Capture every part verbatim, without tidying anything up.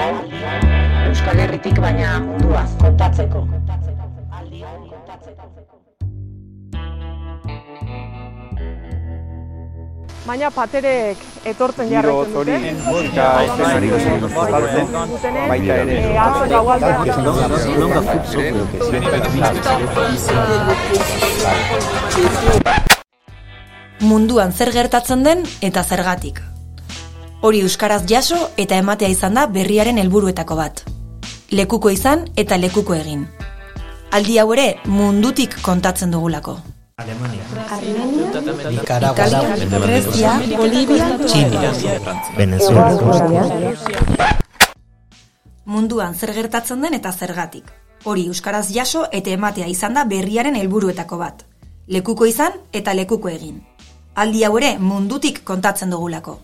Aldion, Euskal Herritik baina munduaz kontatzeko. Aldion, kontatzeko. Baina paterek etortzen jarraitzen dute. Eta eszenari dutenez, baita ere. Atzo gaualdean. Munduan zer gertatzen den eta zergatik. Hori euskaraz jaso eta ematea izan da berriaren helburuetako bat. Lekuko izan eta lekuko egin. Aldi hau ere mundutik kontatzen dugulako. Alemania, Armenia, Nicaragua, Grecia, Bolivia, China, Venezuela. Munduan zer gertatzen den eta zergatik. Hori euskaraz jaso eta ematea izan da berriaren helburuetako bat. Lekuko izan eta lekuko egin. Aldi hau ere mundutik kontatzen dugulako.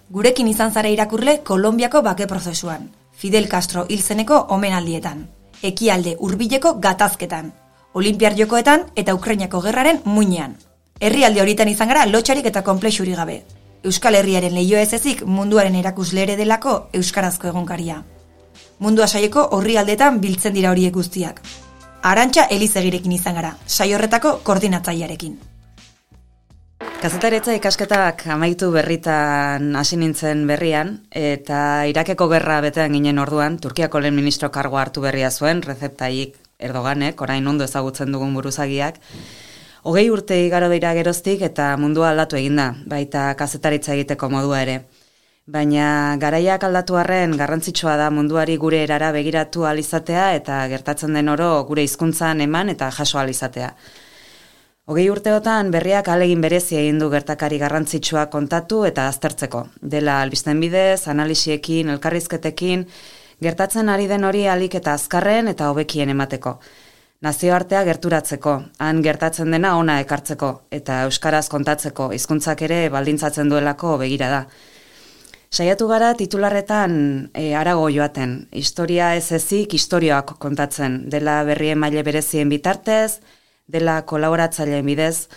Gurekin izan zara irakurle Kolonbiako bake prozesuan, Fidel Castro hil zeneko omenaldietan, ekialde hurbileko gatazketan, Olinpiar Jokoetan eta Ukrainako gerraren muinean. Herrialde horietan izan gara lotxarik eta konplexurik gabe. Euskal Herriaren leio ez ezik munduaren erakusle ere delako euskarazko egunkaria. Mundua saieko orrialdetan biltzen dira horiek guztiak. Arantxa Elizegirekin izan gara, saio horretako koordinatzailearekin. Kazetaritza ikasketak amaitu berritan hasi nintzen berrian, eta Irakeko gerra betean ginen orduan, Turkiako lehen ministro kargoa hartu berria zuen, Recep Tayyip Erdoganek, orain ondo ezagutzen dugun buruzagiak. Hogei urte igaro dira geroztik eta mundua aldatu eginda, baita kazetaritza egiteko modua ere. Baina garaiak aldatu arren garrantzitsua da munduari gure erara begiratu ahal izatea eta gertatzen den oro gure hizkuntzan eman eta jaso ahal izatea. Hogei urteotan berriak ahalegin berezi egin du gertakari garrantzitsua kontatu eta aztertzeko. Dela albisten bidez, analisiekin, elkarrizketekin, gertatzen ari den hori ahalik eta azkarren eta hobekien emateko. Nazioartea gerturatzeko, han gertatzen dena ona ekartzeko, eta euskaraz kontatzeko, hizkuntzak ere baldintzatzen duelako begira da. Saiatu gara titularretan e, arago joaten, historia ez ezik historioak kontatzen, dela berrien maile berezien bitartez, dela kolaboratzaileen bidez.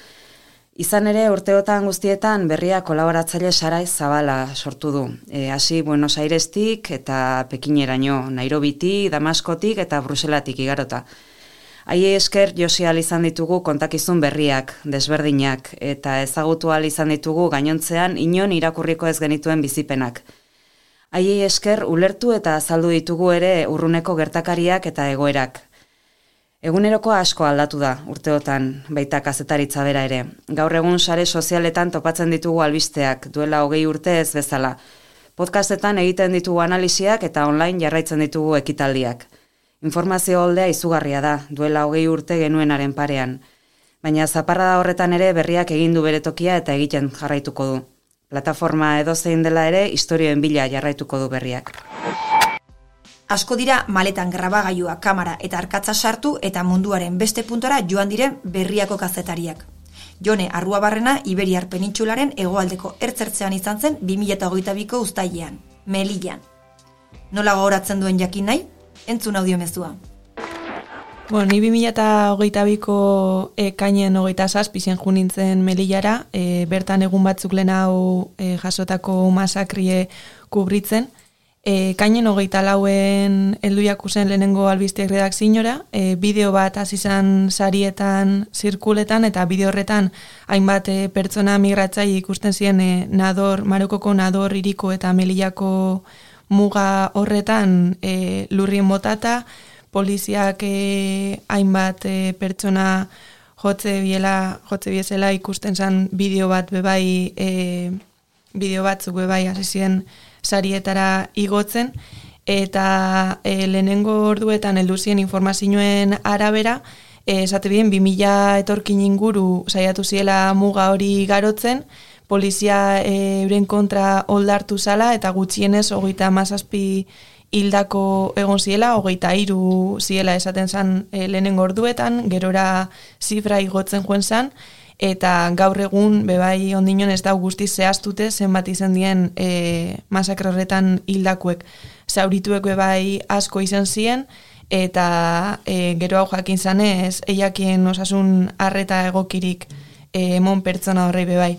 Izan ere urteotan guztietan berria kolaboratzaile sarai zabala sortu du. E, hasi Buenos Airestik eta Pekineraino, Nairobitik, Damaskotik eta Bruselatik igarota. Haiei esker josi ahal izan ditugu kontakizun berriak, desberdinak, eta ezagutu ahal izan ditugu gainontzean inon irakurriko ez genituen bizipenak. Haiei esker ulertu eta azaldu ditugu ere urruneko gertakariak eta egoerak. Eguneroko asko aldatu da urteotan, baita kazetaritza bera ere. Gaur egun sare sozialetan topatzen ditugu albisteak, duela hogei urte ez bezala. Podcastetan egiten ditugu analisiak eta online jarraitzen ditugu ekitaldiak. Informazio holdea izugarria da, duela hogei urte genuenaren parean. Baina zaparrada horretan ere berriak egin du bere tokia eta egiten jarraituko du. Plataforma edozein dela ere, istorioen bila jarraituko du berriak. Asko dira maletan grabagailua, kamera eta arkatza sartu eta munduaren beste puntora joan diren berriako kazetariak. Jone Arruabarrena Iberiar penintsularen hegoaldeko ertzertzean izan zen bi mila hogeita biko uztailean, Melillan. Nola gogoratzen duen jakin nahi? Entzun audiomezua. Bueno, ni bi mila hogeita biko ekainen hogeita zazpizien junintzen Melillara, e, bertan egun batzuk lehen hau e, jasotako masakrie kubritzen. E, kainen hogeita lauen helduiak usen lehenengo albisteak redakziora, e, bideo bat hasi izan sarietan zirkuletan eta bideo horretan hainbat e, pertsona migratzaile ikusten ziren e, Nador, Marokoko Nador hiriko eta Melillako muga horretan e, lurrien botata, poliziak e, hainbat e, pertsona jotze biela, jotze biezela ikusten zan bideo bat bebai, e, bideo batzuk bebai hasi ziren sarietara igotzen, eta e, lehenengo orduetan heldu ziren informazioen arabera, e, esate bien, bi mila etorkin inguru saiatu ziela muga hori garotzen, polizia e, euren kontra oldartu zala, eta gutxienez hogeita hamazazpi hildako egon ziela, hogeita hiru ziela esaten zan e, lehenengo orduetan, gerora zifra igotzen joen zan, eta gaur egun bebai ondinon ez da guztiz zehaztute zenbat izan dien e, masakre horretan hildakuek. Zaurituek bebai asko izan ziren, eta e, gero hau jakin zanez, eiakien osasun arreta egokirik e, emon pertsona horrei bebai.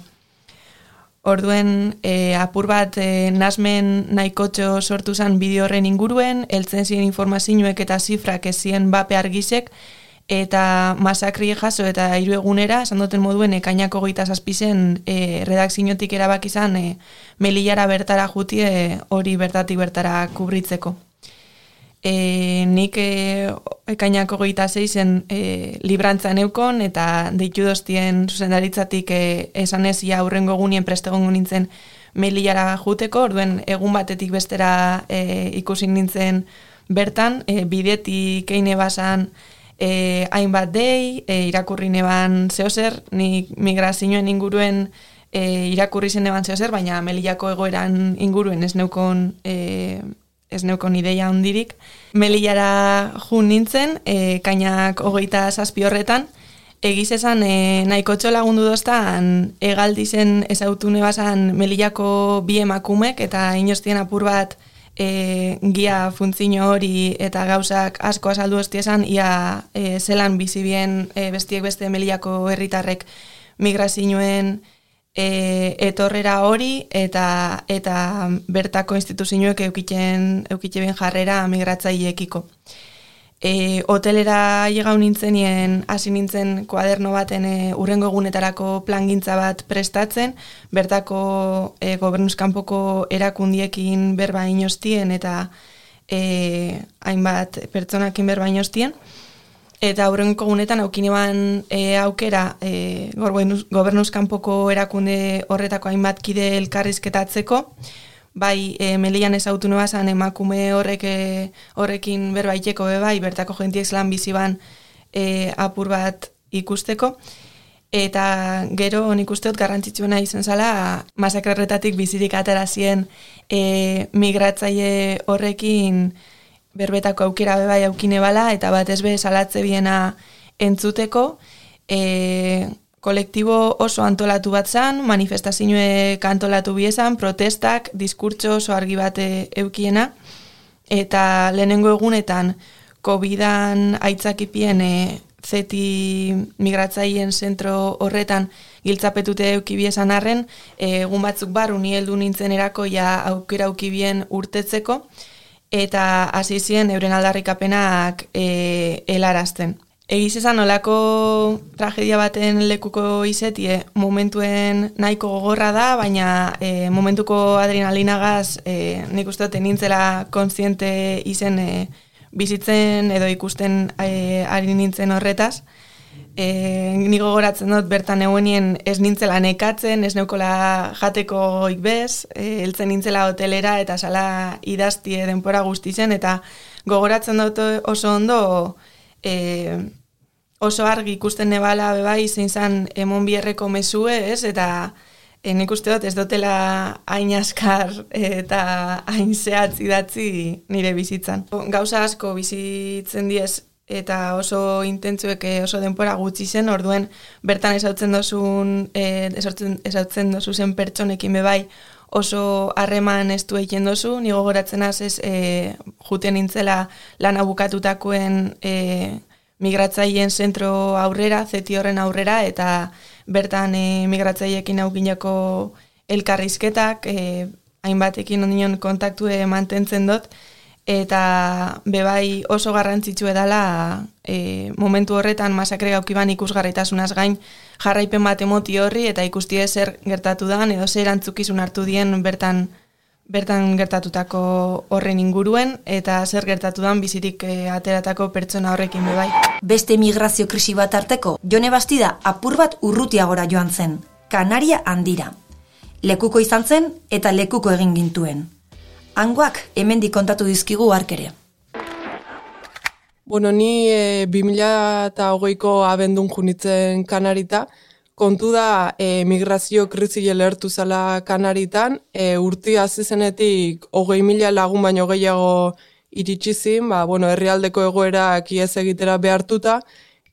Orduen e, apur bat e, nasmen nahikotxo sortu zen bideo horren inguruen, heltzen ziren informazioek eta zifrak ez ziren bape argizek, eta masakri jaso eta hiru egunera, esan duten moduen, ekainak hogeita zazpizen e, redakziotik erabak izan e, Melillara bertara jutie hori bertatik bertara kubritzeko. E, nik e, ekainak hogeita zeizen e, librantza neukon eta deitu doztien zuzendaritzatik e, esan ez ia aurrengo egunien prestegongo nintzen Melillara juteko, orduen egun batetik bestera e, ikusi nintzen bertan, e, bidetik eine basan e, hainbat dei, e, irakurri neban zehozer, nik migrazioen inguruen e, irakurri zen neban zehozer, baina Melillako egoeran inguruen ez neukon e, ez neukon ideia hondirik. Melillara jun nintzen, e, kainak hogeita zazpi horretan, egiz esan e, nahiko txolagundu doztan, egaldizen ezautu nebazan Melillako bi emakumek, eta inoztien apur bat e, gia funtzio hori eta gauzak asko azaldu hostiesan, ia e, zelan bizibien e, bestiek beste Melillako herritarrek migrazioen E, etorrera hori eta eta bertako instituzioek eukitzen eukitzen jarrera migratzaileekiko. E, hotelera llegau nintzenien hasi nintzen kuaderno baten e, urrengo egunetarako plangintza bat prestatzen, bertako e, gobernuzkanpoko erakundiekin berba inostien eta e, hainbat pertsonakin berba inostien. Eta aurrenko gunetan aukineban e, aukera e, gobernuzkanpoko erakunde horretako hainbat kide elkarrizketatzeko, bai e, Melillan ezautu nebazan emakume horrek e, horrekin berbaiteko be bai, bertako jentiek zelan biziban e, apur bat ikusteko, eta gero nik usteot garrantzitsuena izan zala masakrerretatik bizirik aterazien e, migratzaile horrekin berbetako aukera bebai aukine bala, eta batez be salatze biena entzuteko, e, kolektibo oso antolatu bat zan, manifestazioek antolatu biezan, protestak, diskurtso oso argi bat eukiena, eta lehenengo egunetan COVIDan aitzakipien e, zeti migratzaileen zentro horretan giltzapetute eukibiezan arren, e, egun batzuk barru ni heldu nintzen erako ja aukera eukibien urtetzeko, eta hasi ziren euren aldarrikapenak e, helarazten. Egiz esan olako tragedia baten lekuko izetie momentuen nahiko gogorra da, baina e, momentuko adrenalinagaz e, nik uste dut nintzela kontziente izen e, bizitzen edo ikusten e, ari nintzen horretaz. E, nik gogoratzen dut bertan eguenien ez nintzela nekatzen, ez neukola jateko ikbez, e, heltzen nintzela hotelera eta sala idaztie denpora guzti zen, eta gogoratzen dut oso ondo e, oso argi ikusten nebala bebai zein zan emon bierreko mesue, ez? Eta e, nik uste dut ez dutela hain askar eta hain zehatz idatzi nire bizitzan. Gauza asko bizitzen diez eta oso intentzuek oso denpora gutxi zen, orduen bertan ezautzen dozun, e, ezautzen dozu zen pertsonekin bebai oso harreman estu egiten dozu, nigo gogoratzen azez e, juten nintzela lana bukatutakoen e, migratzaileen zentro aurrera, zeti horren aurrera, eta bertan e, migratzaileekin aukinako elkarrizketak, e, hainbatekin ondion kontaktue mantentzen dut, eta bebai oso garrantzitsu edala e, momentu horretan masakre gaukiban ikusgarritasunaz gain jarraipen bat emoti horri eta ikustie zer gertatu dan edo zer antzukizun hartu dien bertan bertan gertatutako horren inguruen eta zer gertatu dan bizirik e, ateratako pertsona horrekin bebai. Beste migrazio krisi bat arteko, Jone Bastida apur bat urrutiagora joan zen, Kanaria handira. Lekuko izan zen eta lekuko egin gintuen. Hangoak hemendik kontatu dizkigu arkere. Bueno, ni e, bi mila hogeiko abendun junitzen Kanarita, kontu da e, migrazio krisi lehertu zala Kanaritan, e, urti hasi zenetik hogei mila lagun baino gehiago iritsi zin, ba, bueno, herrialdeko egoerak ihes egitera behartuta,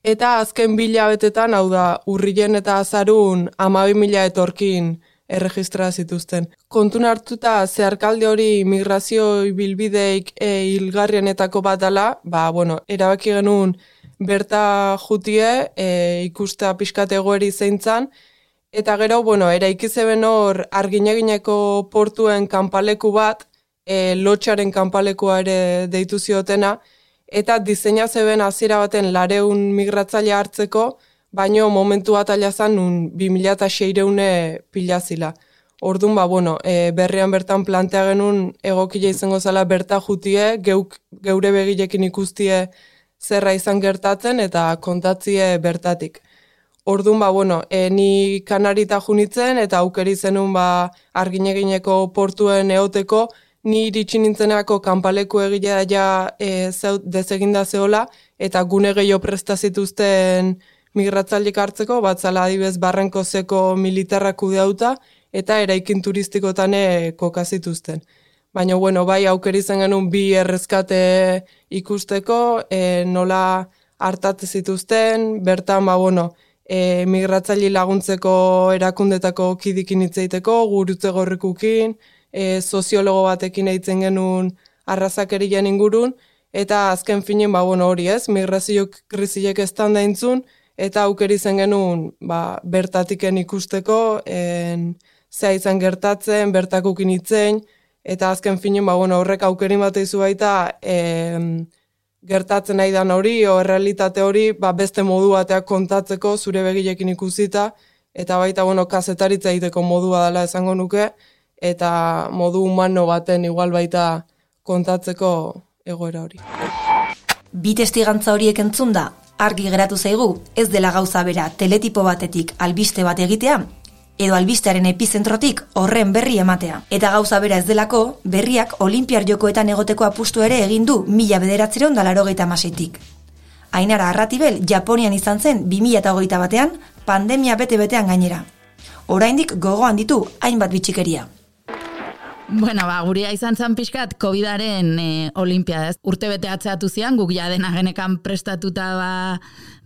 eta azken bilabetetan, hau da, urrilen eta azarun hamabi mila etorkin erregistra zituzten. Kontun hartuta zeharkalde hori migrazio bilbideik e, hilgarrienetako bat dela, ba, bueno, erabaki genuen berta jutie e, ikusta pixkat egoeri zeintzan, Eta gero, bueno, eraiki zeben hor Arginegineko portuen kanpaleku bat, e, lotxaren kanpalekua ere deitu ziotena, eta diseina zeben hasiera baten lareun migratzaile hartzeko, baino momentu bat alazan nun bi mila seireune pilazila. Orduan, ba, bueno, e, berrian bertan plantea genuen egokila izango zela berta jutie, geuk, geure begilekin ikustie zerra izan gertatzen eta kontatzie bertatik. Orduan, ba, bueno, e, ni Kanarita junitzen eta aukeri zenun ba, Arginegineko portuen eoteko, ni iritsi nintzenako kanpaleku egilea ja e, dezeginda zehola eta gune gehiago prestazituzten migratzaileak hartzeko, batzala adibez Barrankozeko militarrak kudeauta eta eraikin turistikotan kokazituzten. Baina, bueno, bai aukeri zen genuen bi errezkate ikusteko, e, nola hartate zituzten, bertan, ba, bueno, e, migratzaile laguntzeko erakundetako kidikin hitzeiteko, gurutze gorrikukin, e, soziologo batekin eitzen genuen arrazakerien ingurun, eta azken finen, ba, bueno, hori ez, migrazio krisiek estan daintzun, eta aukeri zen genuen ba, bertatiken ikusteko, en, zea izan gertatzen, bertakukin itzen, eta azken finen, ba, bueno, horrek aukerin bat izu baita em, gertatzen nahi dan hori, o errealitate hori, ba, beste modu bateak kontatzeko zure begilekin ikusita, eta baita, bueno, kazetaritza egiteko modua dela esango nuke, eta modu humano baten igual baita kontatzeko egoera hori. Bi testigantza horiek entzunda, argi geratu zaigu, ez dela gauza bera teletipo batetik albiste bat egitea, edo albistearen epizentrotik horren berri ematea. Eta gauza bera ez delako, berriak Olinpiar Jokoetan egoteko apustu ere egin du mila bederatziehun eta laurogeita hamaseitik. Ainara Arratibel Japonian izan zen bi mila hogeita batean, pandemia bete-betean gainera. Oraindik gogoan ditu hainbat bitxikeria. Bueno, ba, guria izan zan pixkat COVIDaren e, Olimpiada, ez? Urte bete atzeatu zian, guk ja dena genekan prestatuta ba,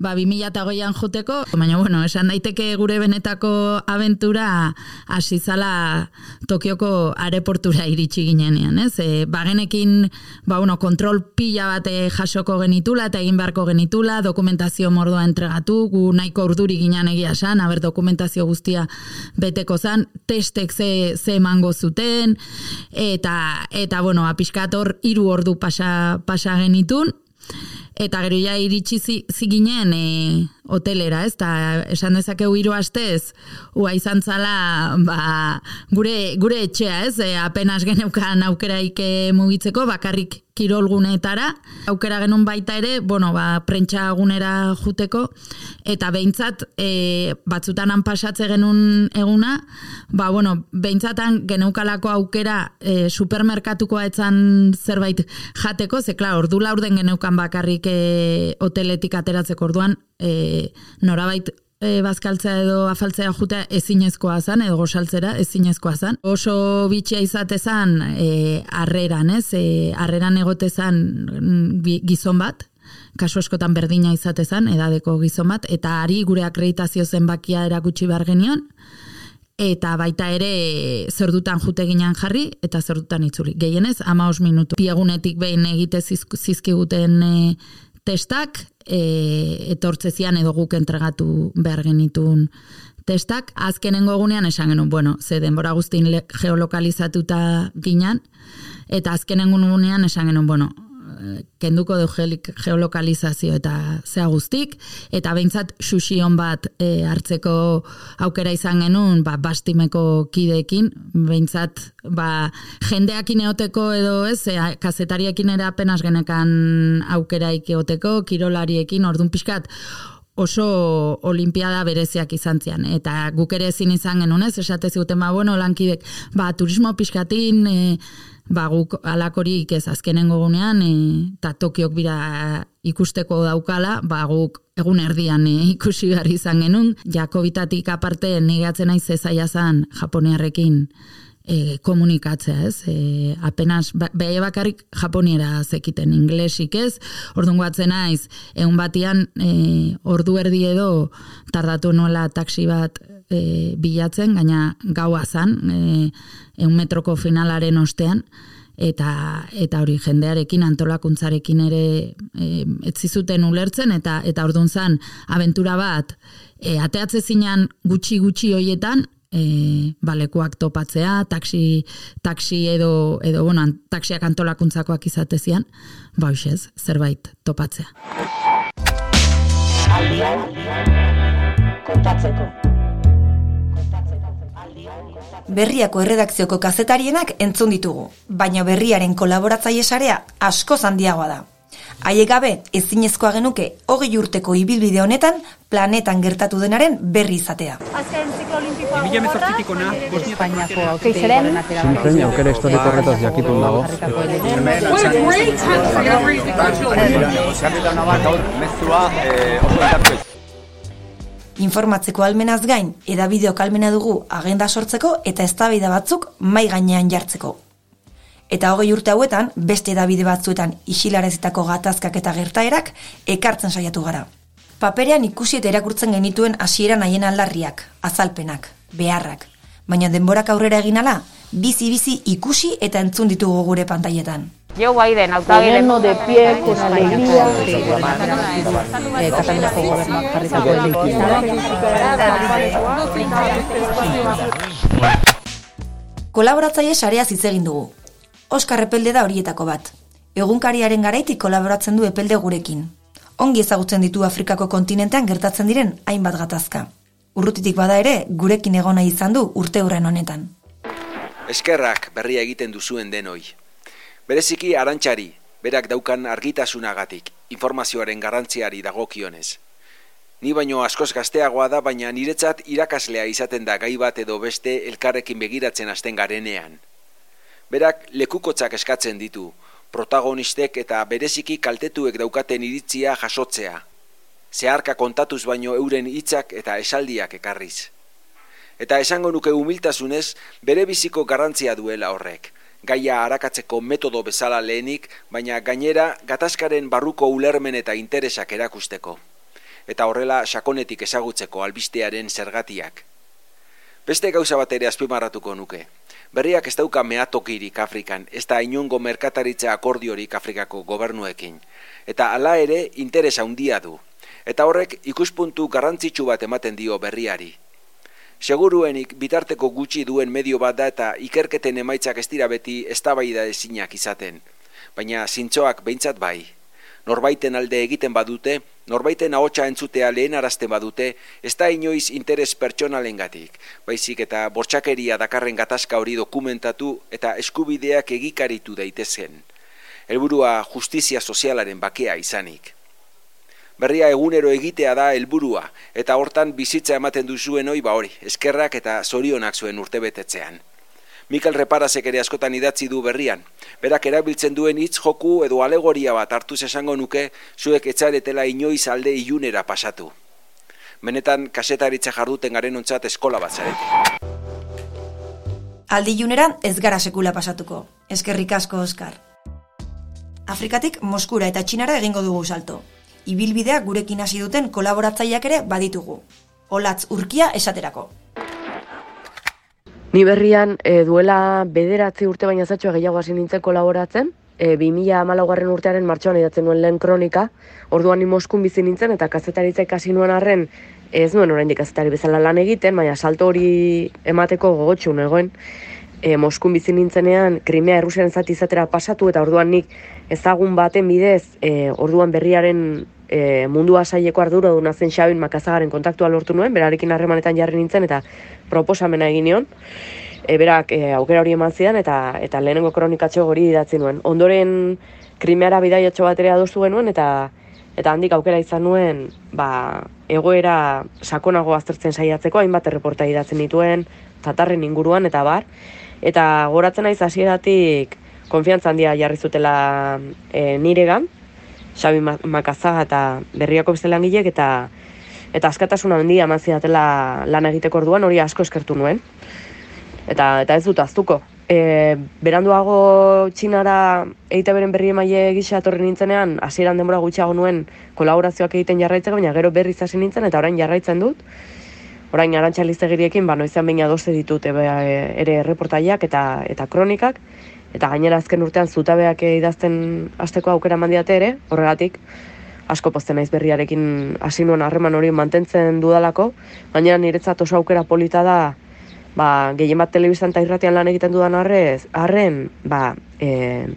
ba bi mila hogeian joteko, baina, bueno, esan daiteke gure benetako abentura hasi zala Tokioko aeroportura iritsi ginenean, ez? E, ba, genekin, ba, bueno, kontrol pila bat jasoko genitula eta egin beharko genitula, dokumentazio mordoa entregatu, gu nahiko urduri ginean egia esan, haber dokumentazio guztia beteko zan, testek ze, ze emango zuten, eta eta bueno, apiskator hiru ordu pasa pasa genitun eta gero ja iritsi ziginen e, hotelera, ez? Ta esan dezakegu hiru astez ua izan zala ba, gure gure etxea, ez? E, apenas geneukan aukeraik mugitzeko, bakarrik kirolgunetara, aukera genuen baita ere, bueno, ba, prentsagunera juteko, eta behintzat, e, batzutan han pasatze genuen eguna, ba, bueno, behintzatan geneukalako aukera e, supermerkatukoa etzan zerbait jateko, ze, klar, ordu laurden geneukan bakarrik e, hoteletik ateratzeko orduan, e, norabait E, bazkaltzea edo afaltzea jutea ezinezkoa zan, edo gosaltzera ezinezkoa zan. Oso bitxia izate zan e, arreran, ez? E, arreran egote zan gizon bat, kasu askotan berdina izate zan, edadeko gizon bat, eta ari gure akreditazio zenbakia erakutsi behar genion, eta baita ere zerdutan jute ginean jarri, eta zerdutan itzuli. Gehienez, hamabost minutu. Piegunetik behin egite zizkiguten e, testak, E, etortzezian edo guk entregatu behar genitun testak. Azkenengo egunean esan genuen, bueno, ze denbora guztin geolokalizatuta ginen, eta azkenengo egunean esan genuen, bueno, kenduko du geolokalizazio eta zea guztik, eta behintzat xuxion bat e, hartzeko aukera izan genuen, ba, bastimeko kideekin, behintzat ba, jendeakin eoteko edo ez, e, kazetariekin ere apenas genekan aukeraik eoteko, kirolariekin, orduan pixkat, oso olimpiada bereziak izan zian, eta guk ere ezin izan genuen, ez, esate ziguten, ba, bueno, lankidek, ba, turismo pixkatin, e, ba, guk alakorik ez azkenengo gunean, eta Tokiok bira ikusteko daukala, ba, guk egun erdian e, ikusi behar izan genuen, Jakobitatik aparte negatzen naiz ezaia zan Japoniarrekin e, komunikatzea, ez? E, apenas, beha bakarrik Japoniera zekiten, inglesik ez, orduan guatzen naiz, egun batian e, ordu erdi edo tardatu nola taksi bat e, bilatzen, gaina gaua zan, e, eun metroko finalaren ostean, eta eta hori jendearekin, antolakuntzarekin ere e, etzizuten ulertzen, eta eta ordun zan abentura bat, e, ateatze zinan gutxi-gutxi hoietan, E, balekuak topatzea, taksi, taksi edo, edo bueno, taksiak antolakuntzakoak izatezian, ba hoxez, zerbait topatzea. Aldian, kontatzeko. Berriako erredakzioko kazetarienak entzun ditugu, baina berriaren kolaboratzaile sarea askoz handiagoa da. Haiek gabe, ezinezkoa genuke hogei urteko ibilbide honetan planetan gertatu denaren berri izatea. Azken ziklo olimpikoa gogorra, Espainiako keizaren zintzen aukera historiko horretaz jakitun dago. Informatzeko almenaz gain, edabideok almena dugu agenda sortzeko eta eztabaida batzuk mai gainean jartzeko. Eta hogei urte hauetan, beste edabide batzuetan isilarazitako gatazkak eta gertaerak ekartzen saiatu gara. Paperean ikusi eta erakurtzen genituen hasieran haien aldarriak, azalpenak, beharrak. Baina denborak aurrera egin ala, bizi-bizi ikusi eta entzun ditugu gure pantailetan. Joe Biden, Gobierno de pie, con alegría. Kataluniako gobernuak jarritako Kolaboratzaile sareaz hitz egin dugu. Oskar Epelde da horietako bat. Egunkariaren garaitik kolaboratzen du Epelde gurekin. Ongi ezagutzen ditu Afrikako kontinentean gertatzen diren hainbat gatazka. Urrutitik bada ere, gurekin egona izan du urte hurren honetan. Eskerrak berria egiten duzuen denoi. Bereziki Arantxari, berak daukan argitasunagatik, informazioaren garrantziari dagokionez. Ni baino askoz gazteagoa da, baina niretzat irakaslea izaten da gai bat edo beste elkarrekin begiratzen hasten garenean. Berak lekukotzak eskatzen ditu, protagonistek eta bereziki kaltetuek daukaten iritzia jasotzea. Zeharka kontatuz baino euren hitzak eta esaldiak ekarriz. Eta esango nuke humiltasunez, bere biziko garrantzia duela horrek. Gaia arakatzeko metodo bezala lehenik, baina gainera gatazkaren barruko ulermen eta interesak erakusteko. Eta horrela sakonetik ezagutzeko albistearen zergatiak. Beste gauza bat ere azpimarratuko nuke. Berriak ez dauka meatokirik Afrikan, ez da inongo merkataritza akordiorik Afrikako gobernuekin. Eta hala ere interesa handia du. Eta horrek ikuspuntu garrantzitsu bat ematen dio berriari. Seguruenik bitarteko gutxi duen medio bat da eta ikerketen emaitzak ez dira beti eztabaida ezinak izaten. Baina zintzoak behintzat bai. Norbaiten alde egiten badute, norbaiten ahotsa entzutea lehenarazten badute, ez da inoiz interes pertsonalengatik, baizik eta bortxakeria dakarren gatazka hori dokumentatu eta eskubideak egikaritu daitezen. Helburua justizia sozialaren bakea izanik. Berria egunero egitea da helburua, eta hortan bizitza ematen duzuen hoi ba hori, eskerrak eta zorionak zuen urtebetetzean. Mikel Reparasek ere askotan idatzi du berrian. Berak erabiltzen duen hitz joku edo alegoria bat hartuz esango nuke zuek etzaretela inoiz alde ilunera pasatu. Benetan kasetaritza jarduten garen ontzat eskola bat zarete. Aldi ilunera ez gara sekula pasatuko. Eskerrik asko, Oskar. Afrikatik Moskura eta Txinara egingo dugu salto. Ibilbidea gurekin hasi duten kolaboratzaileak ere baditugu. Olatz Urkia esaterako. Ni berrian e, duela bederatzi urte baina zatxoa gehiago hasi nintzen kolaboratzen, e, bi mila hamalaugarren urtearen martxoan idatzen nuen lehen kronika, orduan ni Moskun bizi nintzen eta kazetaritza ikasi nuen arren ez nuen oraindik kazetari bezala lan egiten, baina salto hori emateko gogotsu negoen. E, Moskun bizi nintzenean Krimea Errusiaren zati izatera pasatu eta orduan nik ezagun baten bidez, e, orduan berriaren e, mundua saileko arduraduna zen Xabin Makazagaren kontaktua lortu nuen, berarekin harremanetan jarri nintzen eta proposamena egin nion. E, berak e, aukera hori eman zidan eta eta lehenengo kronikatxo hori idatzi nuen. Ondoren Krimeara bidaiatxo bat ere adostu genuen eta eta handik aukera izan nuen ba, egoera sakonago aztertzen saiatzeko, hainbat erreporta idatzen dituen, Tatarren inguruan eta bar. Eta goratzen naiz hasieratik konfiantza handia jarri zutela e, niregan, Xabi Makazaga eta Berriako beste langilek eta eta askatasuna handia eman zidatela lan egiteko orduan, hori asko eskertu nuen. Eta eta ez dut ahaztuko. E, beranduago Txinara E I Te Beren berri emaile gisa etorri nintzenean, hasieran denbora gutxiago nuen kolaborazioak egiten jarraitzeko, baina gero berriz hasi nintzen eta orain jarraitzen dut. Orain Arantxa Liztegiriekin, ba, noizean behin adoste ditut ebe, ere reportaiak eta eta kronikak, eta gainera azken urtean zutabeak idazten hasteko aukera mandiate ere, horregatik, asko pozten naiz berriarekin hasi nuen harreman hori mantentzen dudalako, gainera niretzat oso aukera polita da, ba, gehien bat telebistan eta irratian lan egiten dudan arrez, arren, ba, e,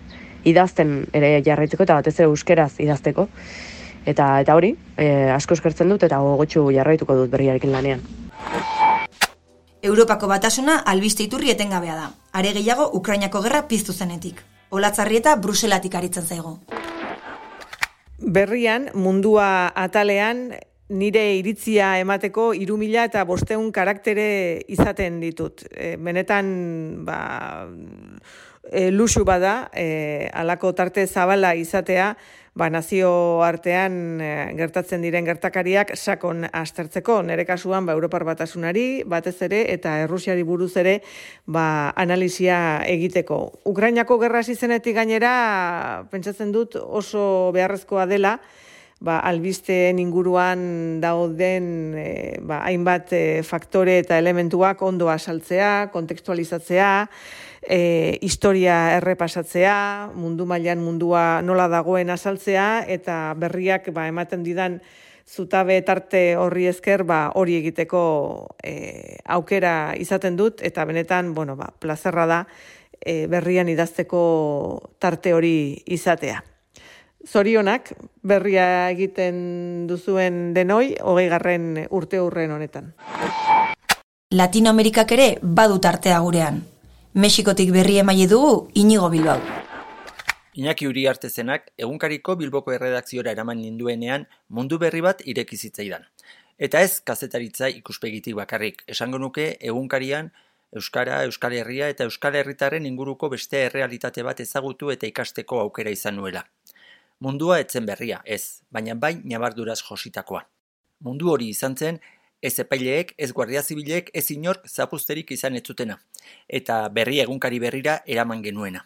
idazten ere jarraitzeko eta batez ere euskeraz idazteko. Eta eta hori, e, asko eskertzen dut eta gogotsu jarraituko dut berriarekin lanean. Europako batasuna albiste iturri etengabea da. Are gehiago Ukrainako gerra piztu zenetik. Olatzarrieta Bruselatik aritzen zaigo. Berrian, mundua atalean, nire iritzia emateko hiru mila eta bostehun karaktere izaten ditut. E, benetan, ba, e, luxu bada, e, alako tarte zabala izatea, ba, nazio artean e, gertatzen diren gertakariak sakon aztertzeko. Nere kasuan, ba, Europar Batasunari, batez ere, eta Errusiari buruz ere, ba, analisia egiteko. Ukrainako gerra hasi zenetik gainera, pentsatzen dut oso beharrezkoa dela, ba, albisteen inguruan dauden e, ba, hainbat e, faktore eta elementuak ondo asaltzea, kontekstualizatzea, e, historia errepasatzea, mundu mailan mundua nola dagoen asaltzea, eta berriak ba, ematen didan zutabe tarte horri esker ba, hori egiteko e, aukera izaten dut, eta benetan, bueno, ba, plazerra da e, berrian idazteko tarte hori izatea. Zorionak, berria egiten duzuen denoi, hogeigarren urte hurren honetan. Latinoamerikak ere badu tartea gurean. Mexikotik berri emaile dugu Inigo Bilbao. Iñaki Uriartezenak egunkariko Bilboko erredakziora eraman ninduenean mundu berri bat ireki zitzaidan. Eta ez kazetaritza ikuspegitik bakarrik. Esango nuke egunkarian Euskara, Euskal Herria eta Euskal Herritarren inguruko beste errealitate bat ezagutu eta ikasteko aukera izan nuela. Mundua etzen berria, ez, baina bai nabarduraz jositakoa. Mundu hori izan zen, ez epaileek, ez guardia zibilek, ez inork zapuzterik izan ez zutena, eta berri egunkari berrira eraman genuena.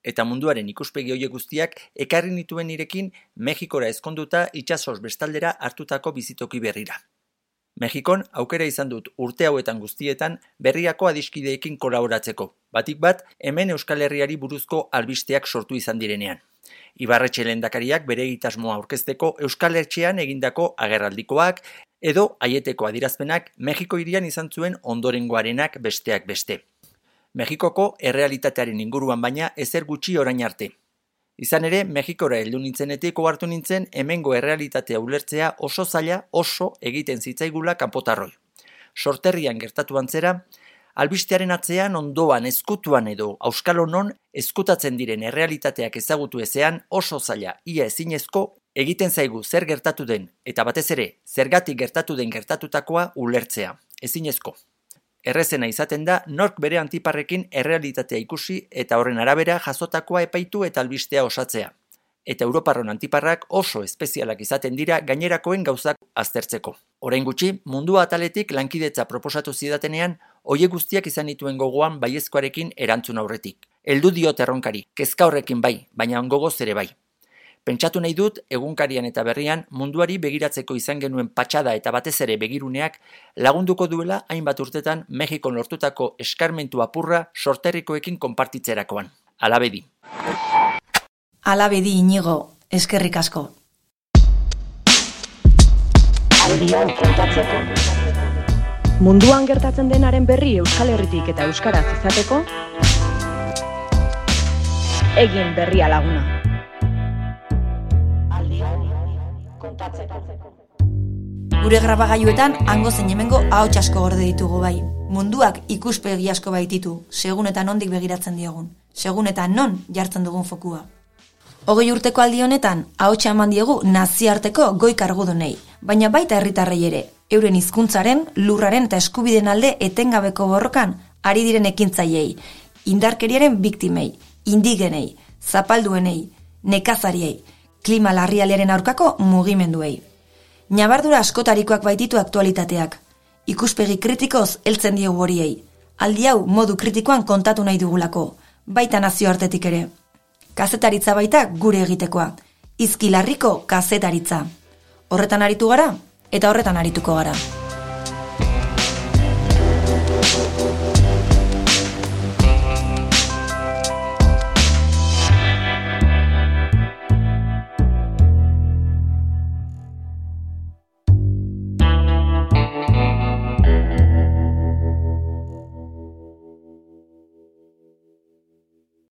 Eta munduaren ikuspegi horiek guztiak ekarri nituen nirekin Mexikora ezkonduta itsasoz bestaldera hartutako bizitoki berrira. Mexikon aukera izan dut urte hauetan guztietan berriako adiskideekin kolaboratzeko, batik bat hemen Euskal Herriari buruzko albisteak sortu izan direnean. Ibarretxe lehendakariak bere egitasmoa aurkezteko Euskal Hertzean egindako agerraldikoak edo aieteko adirazpenak Mexiko hirian izan zuen ondorengoarenak besteak beste. Mexikoko errealitatearen inguruan baina ezer gutxi orain arte. Izan ere, Mexikora heldu nintzenetik ohartu nintzen hemengo errealitatea ulertzea oso zaila oso egiten zitzaigula kanpotarroi. Sorterrian gertatu antzera, albistearen atzean ondoan ezkutuan edo auskalonon ezkutatzen diren errealitateak ezagutu ezean oso zaila ia ezinezko egiten zaigu zer gertatu den eta batez ere zergatik gertatu den gertatutakoa ulertzea. Ezinezko. Errezena izaten da nork bere antiparrekin errealitatea ikusi eta horren arabera jasotakoa epaitu eta albistea osatzea. Eta Europarron antiparrak oso espezialak izaten dira gainerakoen gauzak aztertzeko. Orain gutxi, mundua ataletik lankidetza proposatu zidatenean, hoiek guztiak izan dituen gogoan baiezkoarekin erantzun aurretik. Heldu diot erronkari, kezka horrekin bai, baina gogoz ere bai. Pentsatu nahi dut, egunkarian eta berrian, munduari begiratzeko izan genuen patxada eta batez ere begiruneak lagunduko duela hainbat urtetan Mexikon lortutako eskarmentu apurra sorterrikoekin konpartitzerakoan. Alabedi. Alabedi Inigo, eskerrik asko. Aldian kontatzeko. Munduan gertatzen denaren berri Euskal Herritik eta euskaraz izateko, egin berria laguna. Gure grabagailuetan hango zein hemengo ahots asko gorde ditugu bai. Munduak ikuspegi asko baititu, segun eta nondik begiratzen diogun, segun eta non jartzen dugun fokua. Hogei urteko aldi honetan, ahotsa eman diegu nazioarteko goi kargudunei, baina baita herritarrei ere, euren hizkuntzaren, lurraren eta eskubideen alde etengabeko borrokan ari diren ekintzaileei, indarkeriaren biktimei, indigenei, zapalduenei, nekazariei, klima larrialdiaren aurkako mugimenduei. Ñabardura askotarikoak baititu aktualitateak. Ikuspegi kritikoz heltzen diegu horiei. Aldi hau modu kritikoan kontatu nahi dugulako, baita nazioartetik ere. Kazetaritza baita gure egitekoa. Izkilarriko kazetaritza. Horretan aritu gara eta horretan arituko gara.